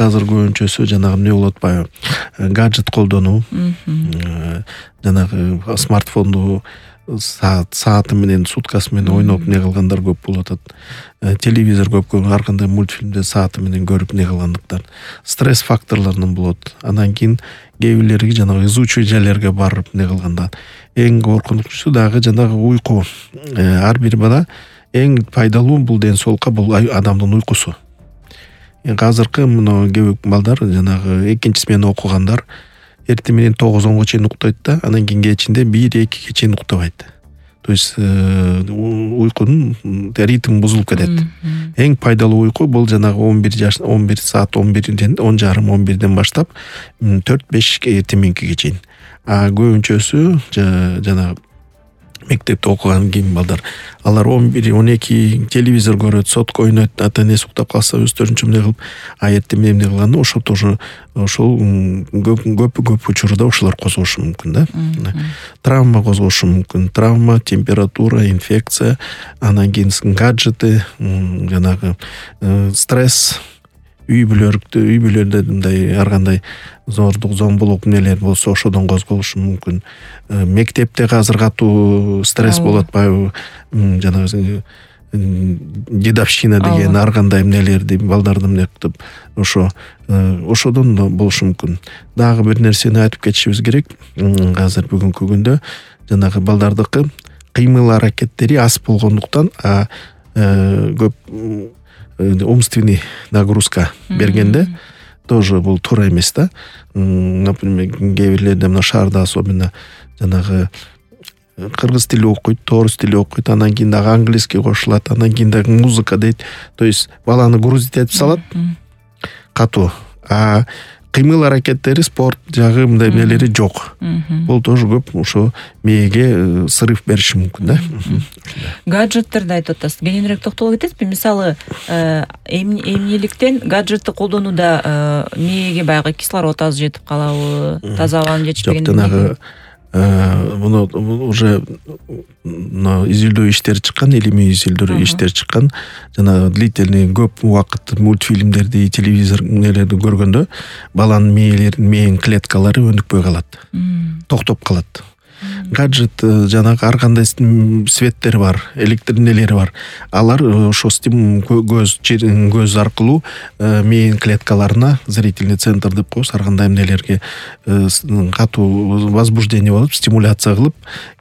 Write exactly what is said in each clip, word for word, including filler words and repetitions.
балдардыкы азыр көбүнчөсү жанагы эмне болуп атпайбы, гаджет колдонуу, жанагы смартфонду саат сааты менен суткасы менен ойноп эмне кылгандар көп болуп атат. Телевизор көп көрүп, ар кандай мультфильмде сааты менен көрүп эмне кылгандыктан стресс факторлорунан болот. Андан кийин кээ бирлери жанагы изучий жайларга барып эмне кылганда эң коркунучусу дагы жанагы уйку. Ар бир бала эң пайдалуу бул ден соолукка бул адамдын уйкусу. Азыркы мына кээ балдар жанагы экинчи смена окугандар эртең менен тогуз онго чейин уктайт да, анан кийин кечинде бир экиге чейин уктабайт. То есть уйкунун ритми бузулуп кетет. Эң пайдалуу уйку бул жанагы он бир жаш он бир саат он бирден он жарым он бирден баштап төрт беш эртең мененкиге чейин. А көбүнчөсү жанагы мектепте окуган кийин балдар алар он бир он эки телевизор көрөт, сотко ойнойт, ата энеси уктап калса өздөрүнчө эмне кылып, а эртең менен эмне кылганда ошо тоже ошол көп көп көп учурда ошолор козгошу мүмкүн да. Травма козгошу мүмкүн. Травма, температура, инфекция, анан кийин гаджеты, жанагы стресс, үй бүлөлүктө, үй бүлөлөрдө мындай ар кандай зордук, зомбулук эмнелер болсо ошодон козголушу мүмкүн. Мектепте азыр катуу стресс болуп атпайбы? Жанагы дедовщина деген ар кандай эмнелерди балдарды эмне кылып ошо ошодон да болушу мүмкүн. Дагы бир нерсени айтып кетишибиз керек. Азыр бүгүнкү күндө жанагы балдардыкы кыймыл аракеттери аз болгондуктан көп умственный нагрузка бергенде тоже бул туура эмес да. Например, кээ бирлерде мына шаарда особенно жанагы кыргыз тили окуйт, орус тили окуйт, анан кийин дагы английский кошулат, анан кийин дагы музыка дейт. То есть баланы грузить этип салат катуу. А кыймыл аракеттери, спорт жагы мындай эмнелери жок. Бул тоже көп ошо мээге срыв бериши мүмкүн да. Гаджеттерди айтып атасыз. Кененирээк токтоло кетесизби? Мисалы, эмнеликтен гаджетти колдонууда мээге баягы кислород аз жетип калабы, таза абанын жетишпегендиги? Муну уже изилдөө иштери чыккан, илимий изилдөө иштери чыккан. Жана длительный көп убакыт мультфильмдерди, телевизор нелерди көргөндө баланын мээлеринин мээни клеткалары өнүкпөй калат. Токтоп калат. Гаджет жанагы ар кандай светтер бар, электр нелери бар. Алар ошо стимул көз көз аркылуу мээни клеткаларына зрительный центр деп коебуз, ар кандай эмнелерге катуу возбуждение болуп, стимуляция кылып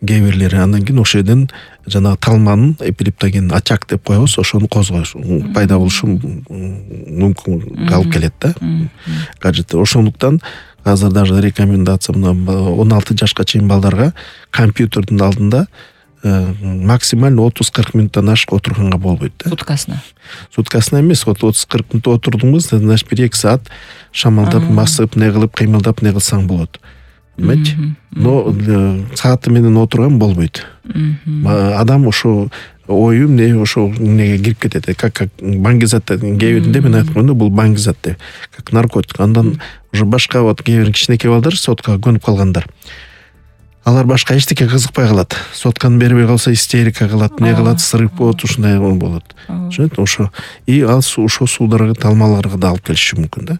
кээ бирлери андан кийин ошол жерден жанагы талманын эпилептоген очаг деп коебуз, ошону козгош пайда болушу мүмкүн алып келет да. Гаджет ошондуктан азыр даже рекомендация мына он алты жашка чейин балдарга компьютердин алдында максимально отуз кырк мүнөттөн ашык отурганга болбойт да. Суткасына. Суткасына эмес, отуз кырк мүнөт отурдуңуз, значит бир эки саат шамалдап, басып, не кылып, кыймылдап, не кылсаң болот. Демек, но сааты менен отурган болбойт. Адам ошо ою эмне ошо эмнеге кирип кетет, как баңгизат кээ биринде мен айтканда бул баңгизат деп, как наркотик. Андан уже башка вот кээ бир кичинекей балдар соткага көнүп калгандар. Алар башка эчтеке кызыкпай калат. Сотканы бербей калса истерика кылат, не кылат, срыв болот, ушундай болот. Ошо и ал ошо суударга, талмаларга да алып келиши мүмкүн да.